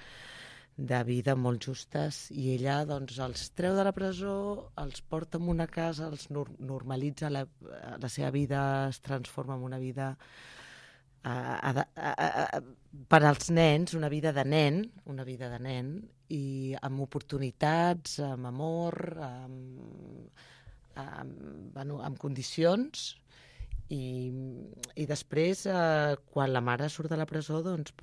de vida molt justes, i ella doncs, els treu de la presó, els porta a una casa, els normalitza, la seva vida es transforma en una vida per als nens, una vida de nen, i amb oportunitats, amb amor, amb condicions. I després, quan la mare surt de la presó, doncs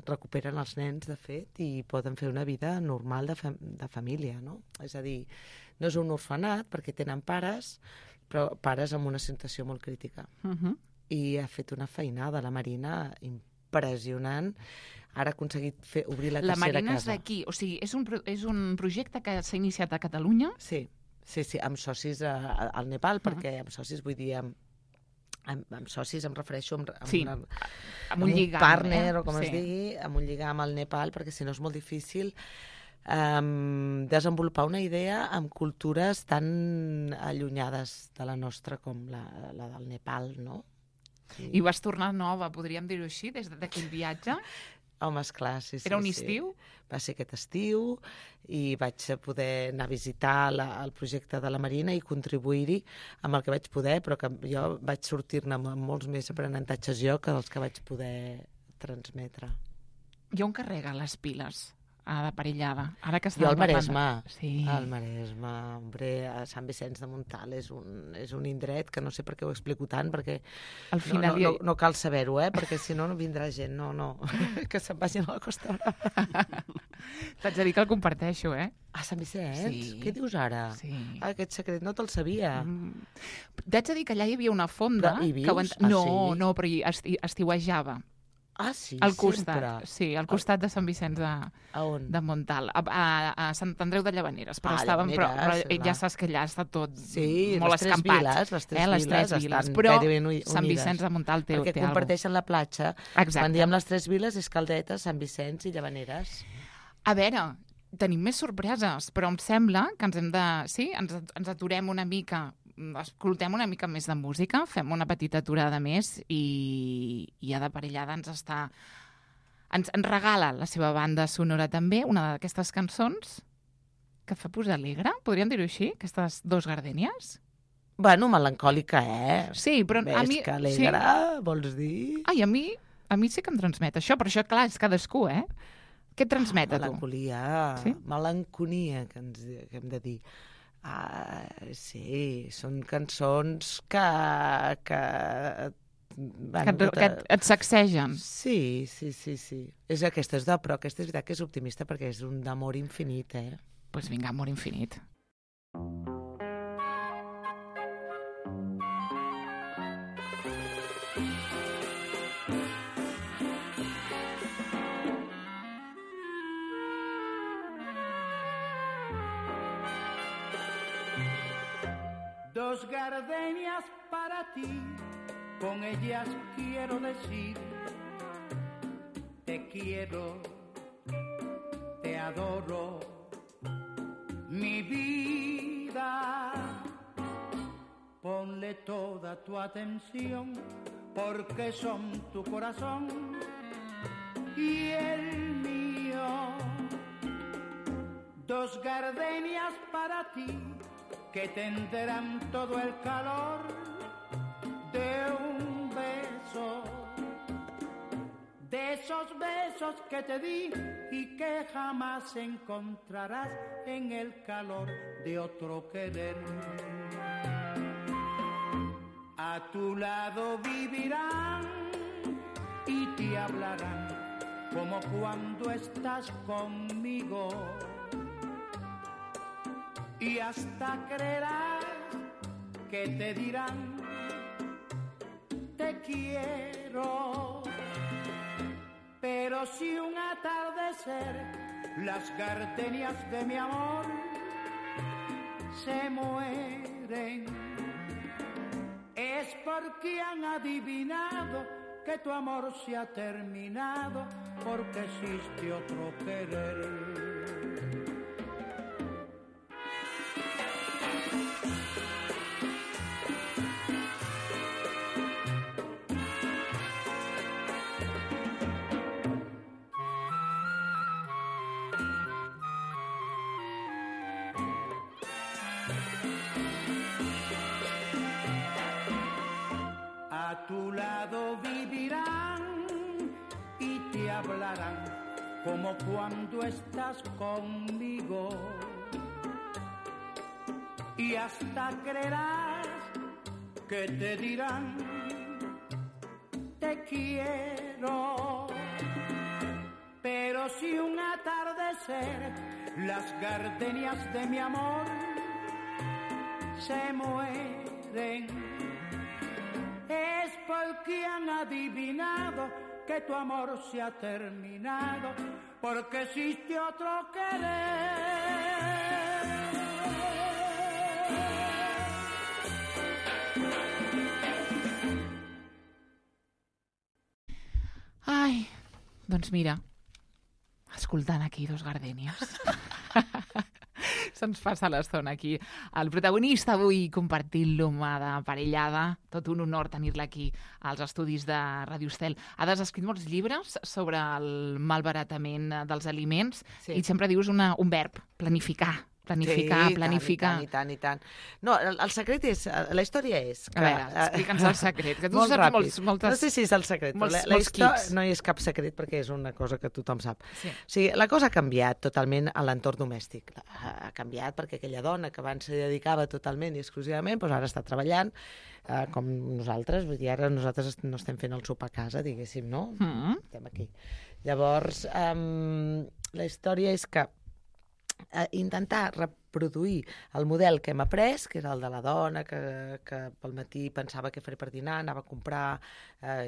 recuperen els nens, de fet, i poden fer una vida normal de família, no? És a dir, no és un orfenat, perquè tenen pares, però pares amb una situació molt crítica. I ha fet una feinada, la Marina, impressionant. Ara ha aconseguit obrir la tercera casa. La Marina és d'aquí, o sigui, és un projecte que s'ha iniciat a Catalunya? Sí, amb socis al Nepal, perquè amb socis vull dir amb socis em refereixo amb un lligam, partner, o com es digui, amb un lligam al Nepal, perquè si no és molt difícil desenvolupar una idea amb cultures tan allunyades de la nostra com la del Nepal, no? Sí. I vas tornar nova, podríem dir-ho així, des d'aquell viatge? Home, esclar, sí. Era un estiu? Va ser aquest estiu i vaig poder anar a visitar el projecte de la Marina i contribuir-hi amb el que vaig poder, però que jo vaig sortir-ne amb molts més aprenentatges jo que els que vaig poder transmetre. I on carrega les piles d'aparellada? Jo al Maresme. Sí. Al Maresme, a Sant Vicenç de Montalt és un indret que no sé per què ho explico tant, perquè al final no cal saber-ho, perquè si no vindrà gent, no, que se'n vagin a la Costa Brava. T'haig de dir que el comparteixo, A Sant Vicenç? Sí. Què dius ara? Sí. Aquest secret no te'l sabia. T'haig de dir que allà hi havia una fonda... Hi vius? No, però hi estiuejava. Ah, sí? Al costat, sempre? sí, al costat de Sant Vicenç de Montalt, a Sant Andreu de Llavaneres, però ja saps que allà està tot molt escampat. Les tres viles però gairebé unides. Sant Vicenç de Montalt té perquè comparteixen la platja. Exacte. Quan diem les tres viles és Caldetes, Sant Vicenç i Llavaneres. A veure, tenim més sorpreses, però em sembla que ens aturem una mica, escoltem una mica més de música, fem una petita aturada més i ja d'aparellada ens regala la seva banda sonora també, una d'aquestes cançons que fa posar alegre, podríem dir-ho així, aquestes dos gardènies? Bueno, melancòlica, Sí, però a mi... Més que alegre, vols dir? Ai, a mi sí que em transmet això, però això, clar, és cadascú, Què et transmet a tu? Melancolia, que hem de dir. Sí, són cançons que et sacsegen. Sí. És aquesta, però aquesta és veritat que és optimista perquè és un d'amor infinit, Doncs vinga, amor infinit. Dos gardenias para ti, con ellas quiero decir, te quiero, te adoro, mi vida. Ponle toda tu atención, porque son tu corazón y el mío. Dos gardenias para ti, que tendrán todo el calor de un beso, de esos besos que te di y que jamás encontrarás en el calor de otro querer. A tu lado vivirán y te hablarán como cuando estás conmigo. Y hasta creerás que te dirán te quiero. Pero si un atardecer las gardenias de mi amor se mueren, es porque han adivinado que tu amor se ha terminado, porque existe otro querer. A tu lado vivirán y te hablarán como cuando estás conmigo. Y hasta creerás que te dirán te quiero. Pero si un atardecer las gardenias de mi amor se mueren, es porque han adivinado que tu amor se ha terminado, porque existe otro querer. Ai, doncs mira, escoltant aquí dos gardènies. Se'ns passa l'estona aquí. El protagonista avui compartint-lo mà de parellada. Tot un honor tenir-la aquí als estudis de Ràdio Estel. Has escrit molts llibres sobre el malbaratament dels aliments i sempre dius un verb, planificar. Planificar. I tant. No, el secret és... La història és... A veure, explica'ns el secret. Que tu saps moltes... No sé si és el secret. Molts quips. No hi és cap secret perquè és una cosa que tothom sap. Sí. O sigui, la cosa ha canviat totalment a l'entorn domèstic. Ha canviat perquè aquella dona que abans se dedicava totalment i exclusivament, doncs ara està treballant com nosaltres. Vull dir, ara nosaltres no estem fent el sopar a casa, diguéssim, no? Estem aquí. Llavors, la història és que intentar reproduir el model que hem après, que era el de la dona que pel matí pensava què faré per dinar, anava a comprar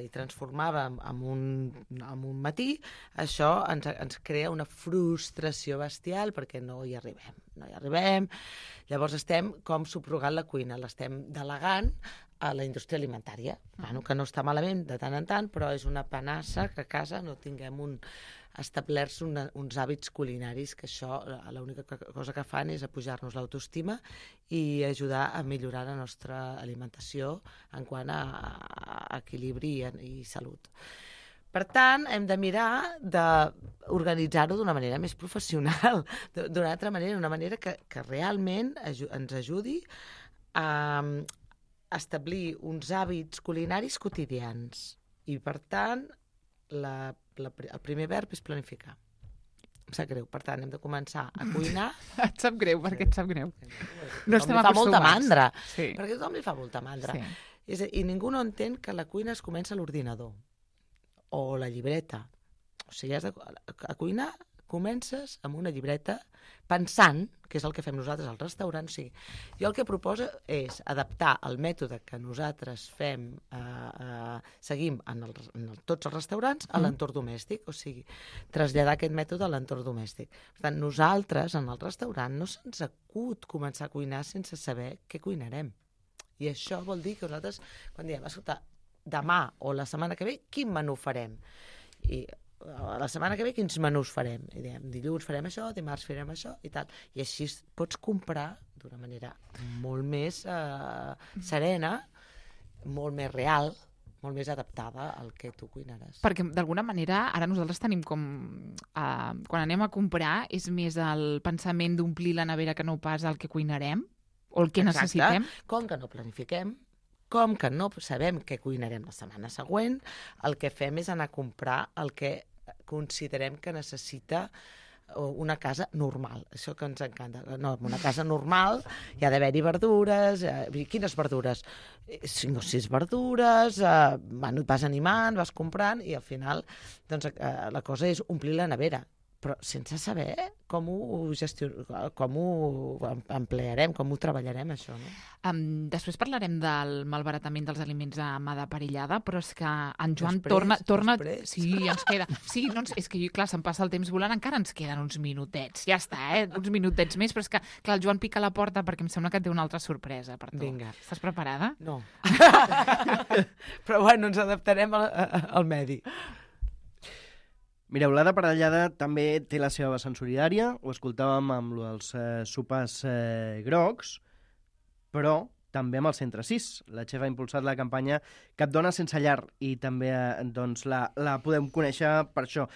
i transformava en un matí, això ens crea una frustració bestial perquè no hi arribem. Llavors estem com subrogant la cuina, l'estem delegant a la indústria alimentària, que no està malament de tant en tant, però és una panassa que a casa no tinguem establerts uns hàbits culinaris, que això l'única cosa que fan és apujar-nos l'autoestima i ajudar a millorar la nostra alimentació en quant a equilibri i salut. Per tant, hem de mirar d'organitzar-ho d'una manera més professional, d'una altra manera, una manera que realment ens ajudi a establir uns hàbits culinaris quotidians. I, per tant, el primer verb és planificar. Em sap greu. Per tant, hem de començar a cuinar. Et sap greu? Per què et sap greu? No estem acostumats. Fa molta mandra. Sí. Perquè tothom li fa molta mandra. Sí. I ningú no entén que la cuina es comença a l'ordinador o la llibreta. O sigui, a cuinar comences amb una llibreta pensant, que és el que fem nosaltres al restaurant. O sigui, jo el que proposo és adaptar el mètode que nosaltres seguim en tots els restaurants a l'entorn domèstic, o sigui, traslladar aquest mètode a l'entorn domèstic. Per tant, nosaltres, en el restaurant, no se'ns acut començar a cuinar sense saber què cuinarem. I això vol dir que nosaltres, quan diem, escolta, demà o la setmana que ve, quin menú farem? I la setmana que ve quins menús farem? I diem, dilluns farem això, dimarts farem això i tal. I així pots comprar d'una manera molt més serena, molt més real, molt més adaptada al que tu cuinaràs. Perquè, d'alguna manera, ara nosaltres tenim com... quan anem a comprar, és més el pensament d'omplir la nevera que no pas el que cuinarem o el que necessitem. Com que no planifiquem, com que no sabem què cuinarem la setmana següent, el que fem és anar a comprar el que considerem que necessita una casa normal, això que ens encanta. No, una casa normal hi ha d'haver-hi verdures, quines verdures? 5 o 6 verdures, vas animant, vas comprant, i al final doncs, la cosa és omplir la nevera, però sense saber com ho emplearem, com ho treballarem, això, no? Després parlarem del malbaratament dels aliments a mà de perillada, però és que en Joan Després. Sí, ens queda... Sí, no, és que, clar, se'm passa el temps volant, encara ens queden uns minutets. Ja està, uns minutets més, però és que, clar, el Joan pica a la porta perquè em sembla que té una altra sorpresa per tu. Vinga. Estàs preparada? No. Però bueno, ens adaptarem al medi. Mireu, l'Ada Parellada també té la seva vessant solidària, ho escoltàvem amb els sopars grocs, però també amb el Centre 6. La Txef ha impulsat la campanya Cap dona sense llar i també doncs, la podem conèixer per això.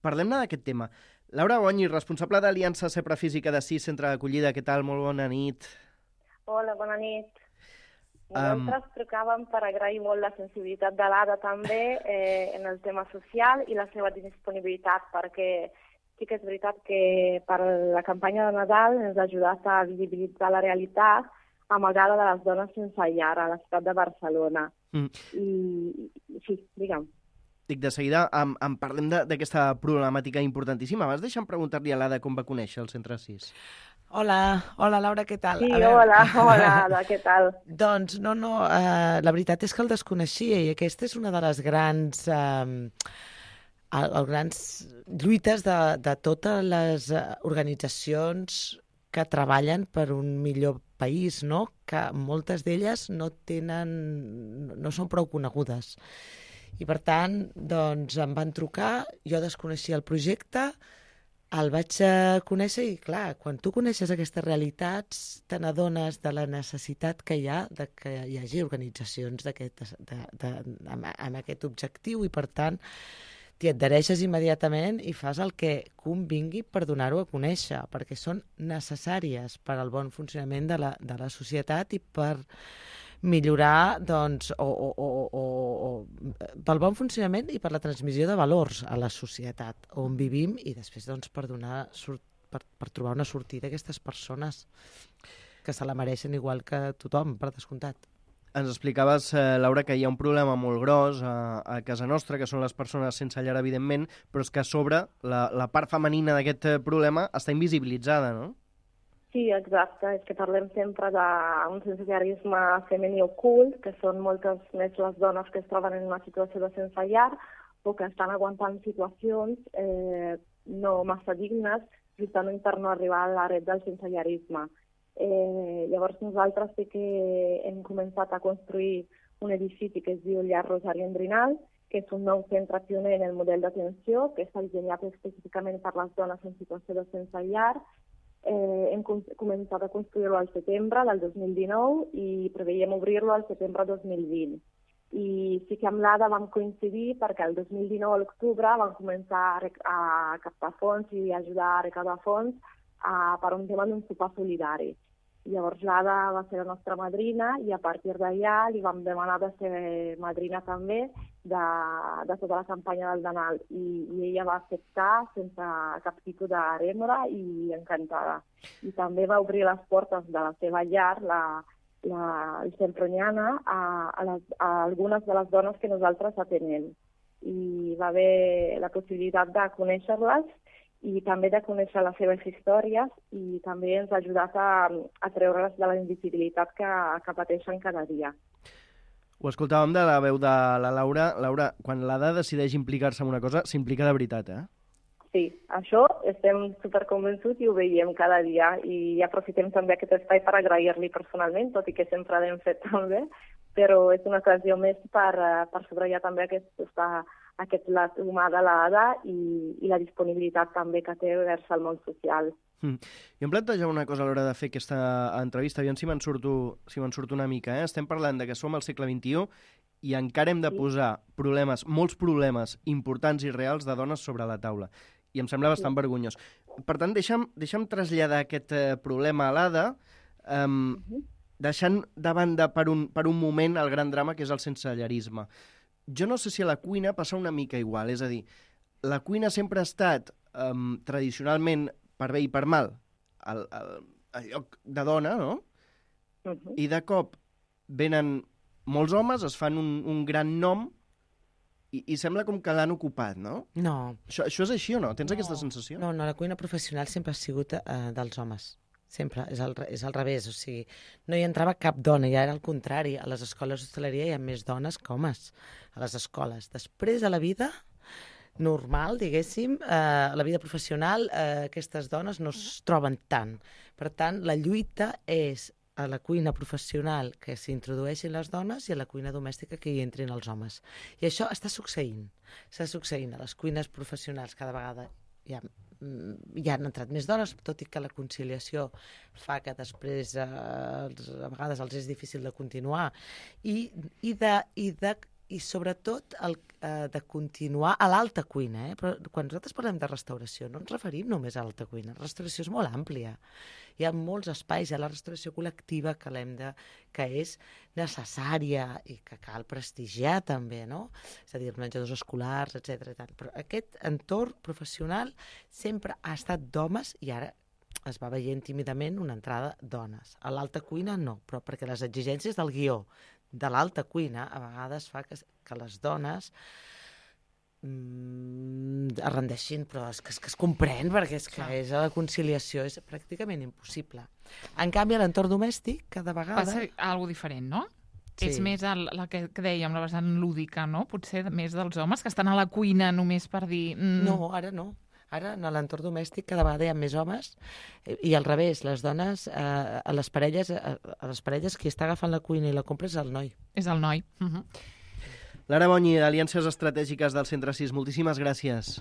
Parlem-ne d'aquest tema. Laura Bonyi, responsable d'Aliança Cepra Física de 6, centre d'acollida. Què tal? Molt bona nit. Hola, bona nit. Nosaltres trucàvem per agrair molt la sensibilitat de l'Ada també en el tema social i la seva disponibilitat, perquè sí que és veritat que per la campanya de Nadal ens ha ajudat a visibilitzar la realitat amagada de les dones sense llar a la ciutat de Barcelona. I sí, digue'm. Dic, de seguida en parlem d'aquesta problemàtica importantíssima. Abans deixa'm preguntar-li a l'Ada com va conèixer el Centre 6. Hola, Laura, què tal? Sí, hola, Ada, què tal? Doncs no, la veritat és que el desconeixia i aquesta és una de les grans lluites de totes les organitzacions que treballen per un millor país, no? Que moltes d'elles no són prou conegudes. I per tant, doncs em van trucar, jo desconeixia el projecte, el vaig conèixer i, clar, quan tu coneixes aquestes realitats, te n'adones de la necessitat que hi ha de que hi hagi organitzacions amb aquest objectiu i, per tant, t'hi adhereixes immediatament i fas el que convingui per donar-ho a conèixer, perquè són necessàries per al bon funcionament de la societat i per millorar, doncs, pel bon funcionament i per la transmissió de valors a la societat on vivim i després, doncs, per trobar una sortida a aquestes persones que se la mereixen igual que tothom, per descomptat. Ens explicaves, Laura, que hi ha un problema molt gros a casa nostra, que són les persones sense llar, evidentment, però és que a sobre la part femenina d'aquest problema està invisibilitzada, no? Sí, exacte. És que parlem sempre d'un sensellarisme femení ocult, que són moltes més les dones que es troben en una situació de sense llar o que estan aguantant situacions no massa dignes justament per no arribar a la red del sensellarisme. Llavors nosaltres sí que hem començat a construir un edifici que es diu Llar Rosari Endrinal, que és un nou centre pioner en el model d'atenció, que està dissenyat específicament per les dones en situació de sense llar. Hem començat a construir-lo al setembre del 2019 i preveiem obrir-lo al setembre 2020. I sí que amb l'Ada vam coincidir perquè el 2019 a l'octubre vam començar a captar fons i ajudar a recaudar fons per un tema d'un sopar solidari. Llavors l'Ada va ser la nostra madrina i a partir d'allà li vam demanar de ser madrina també de tota la campanya del Nadal i ella va acceptar sense cap tipus de rèmora i encantada. I també va obrir les portes de la seva llar, el Semproniana, a algunes de les dones que nosaltres atenem. I va haver la possibilitat de conèixer-les i també de conèixer les seves històries i també ens ha ajudat a treure's de la invisibilitat que pateixen cada dia. Ho escoltàvem de la veu de la Laura. Laura, quan l'Ada decideix implicar-se en una cosa, s'implica de veritat, eh? Sí, això estem superconvençuts i ho veiem cada dia i aprofitem també aquest espai per agrair-li personalment, tot i que sempre l'hem fet també, però és una ocasió més per subratllar també aquest lat humà de l'Ada i la disponibilitat també que té vers el món social. Jo em plantejava una cosa a l'hora de fer aquesta entrevista, aviam si me'n surto una mica. Estem parlant de que som al segle XXI i encara hem de posar molts problemes importants i reals de dones sobre la taula. I em sembla bastant vergonyós. Per tant, deixa'm traslladar aquest problema a l'Ada, deixant de banda per un moment el gran drama que és el sensellarisme. Jo no sé si a la cuina passa una mica igual, és a dir, la cuina sempre ha estat tradicionalment, per bé i per mal, el lloc de dona, no? I de cop venen molts homes, es fan un gran nom i sembla com que l'han ocupat, no? No. Això és així o no? Tens aquesta sensació? No, la cuina professional sempre ha sigut dels homes. Sempre, és al revés, o sigui, no hi entrava cap dona, ja era al contrari. A les escoles d'hostaleria hi ha més dones que homes, a les escoles. Després, a la vida normal, diguéssim, a la vida professional, aquestes dones no es troben tant. Per tant, la lluita és a la cuina professional que s'introdueixin les dones i a la cuina domèstica que hi entrin els homes. I això està succeint. Està succeint a les cuines professionals cada vegada. Ja han entrat més dones, tot i que la conciliació fa que després a vegades els és difícil de continuar. I sobretot de continuar a l'alta cuina. Però quan nosaltres parlem de restauració no ens referim només a l'alta cuina. La restauració és molt àmplia. Hi ha molts espais, hi ha la restauració col·lectiva que és necessària i que cal prestigiar també, no? És a dir, menjadors escolars, etc. Però aquest entorn professional sempre ha estat d'homes i ara es va veient tímidament una entrada dones. A l'alta cuina no, però perquè les exigències del guió de l'alta cuina a vegades fa que les dones es rendeixin, però és que es comprèn, perquè és que la conciliació és pràcticament impossible. En canvi, a l'entorn domèstic, cada vegada... Passa alguna diferent, no? Sí. És més la que dèiem, la vessant lúdica, no? Potser més dels homes que estan a la cuina només per dir... No, ara no. Ara, en l'entorn domèstic, cada vegada hi ha més homes i al revés, les dones, a les parelles qui està agafant la cuina i la compra és el noi. És el noi. Lara Bonyi, d'Aliances Estratègiques del Centre 6, moltíssimes gràcies.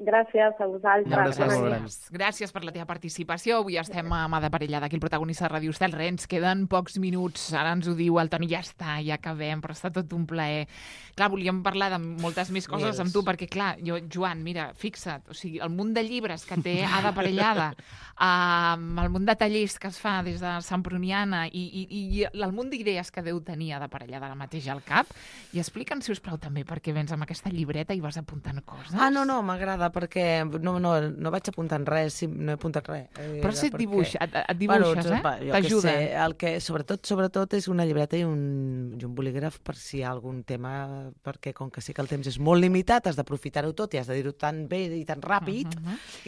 Gràcies a vosaltres. Gràcies per la teva participació. Avui estem amb Ada Parellada, aquí el protagonista de Ràdio Estel. Ens queden pocs minuts. Ara ens ho diu el Toni, ja està, ja acabem, però està tot un plaer. Clar, volíem parlar de moltes més coses amb tu, perquè, clar, Joan, mira, fixa't, o sigui, el munt de llibres que té Ada Parellada, el munt de tallers que es fa des de Santpruniana i el munt d'idees que deu tenir Ada Parellada ara mateix al cap. I explica'ns, si us plau, també, perquè vens amb aquesta llibreta i vas apuntant coses. No, m'agrada, perquè no vaig apuntant res, no he apuntat res. Però si et dibuixes, t'ajuda. El que sobretot és una llibreta i un bolígraf per si hi ha algun tema, perquè com que sí que el temps és molt limitat, has d'aprofitar-ho tot i has de dir-ho tan bé i tan ràpid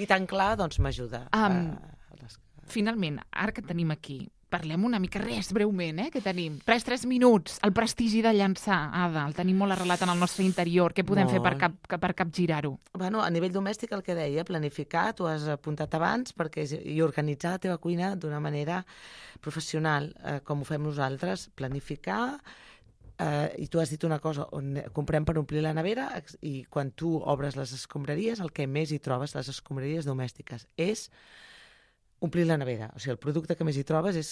i tan clar, doncs m'ajuda. Finalment, ara que tenim aquí, parlem una mica, breument, que tenim. 3 minuts, el prestigi de llançar, Ada, el tenim molt arrelat en el nostre interior. Què podem fer per capgirar-ho? Bueno, a nivell domèstic, el que deia, planificar, t'ho has apuntat abans, i organitzar la teva cuina d'una manera professional, com ho fem nosaltres, planificar, i tu has dit una cosa, on comprem per omplir la nevera, i quan tu obres les escombraries, el que més hi trobes, les escombraries domèstiques, és omplir la nevera. O sigui, el producte que més hi trobes és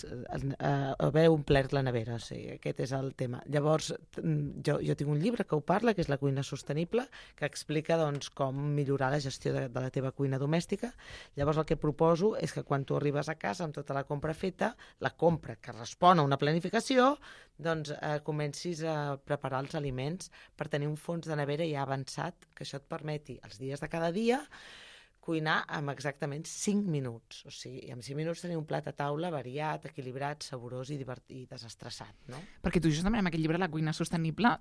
haver omplert la nevera. O sigui, aquest és el tema. Llavors, jo tinc un llibre que ho parla, que és La cuina sostenible, que explica com millorar la gestió de la teva cuina domèstica. Llavors, el que proposo és que quan tu arribes a casa amb tota la compra feta, la compra que respon a una planificació, doncs comencis a preparar els aliments per tenir un fons de nevera ja avançat, que això et permeti els dies de cada dia cuinar amb exactament 5 minuts. O sigui, en 5 minuts tenir un plat a taula variat, equilibrat, saborós i desestressat, no? Perquè tu justament amb aquest llibre, La cuina sostenible,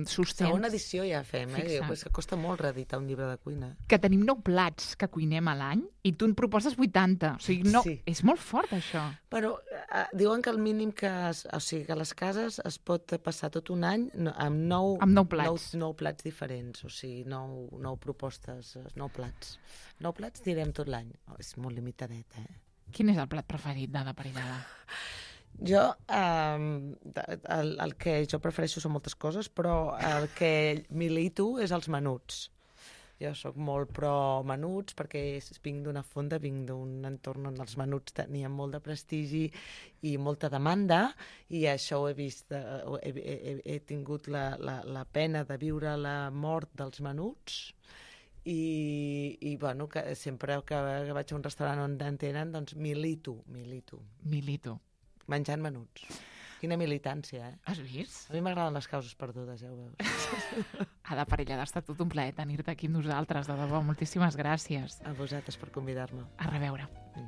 sostens... Segona edició ja fem, és que costa molt reeditar un llibre de cuina. Que tenim 9 plats que cuinem a l'any i tu en proposes 80. O sigui, és molt fort, això. Però diuen que el mínim que a les cases es pot passar tot un any amb 9 plats. 9 plats diferents, o sigui, 9 propostes, 9 plats. 9 plats direm tot l'any. És molt limitadet, Quin és el plat preferit d'Ada Parellada? Jo, el que jo prefereixo són moltes coses, però el que milito és els menuts. Jo sóc molt pro menuts perquè vinc d'una fonda, vinc d'un entorn on els menuts tenien molt de prestigi i molta demanda, i això ho he vist, he tingut la pena de viure la mort dels menuts, i bueno, que sempre que vaig a un restaurant on en tenen, doncs milito. Menjant menuts. Quina militància, eh? Has vist? A mi m'agraden les causes perdudes, ja ho veus. Ada Parellada, ha estat tot un plaer tenir-te aquí amb nosaltres, de debò. Moltíssimes gràcies. A vosaltres per convidar-me. A reveure. Mm.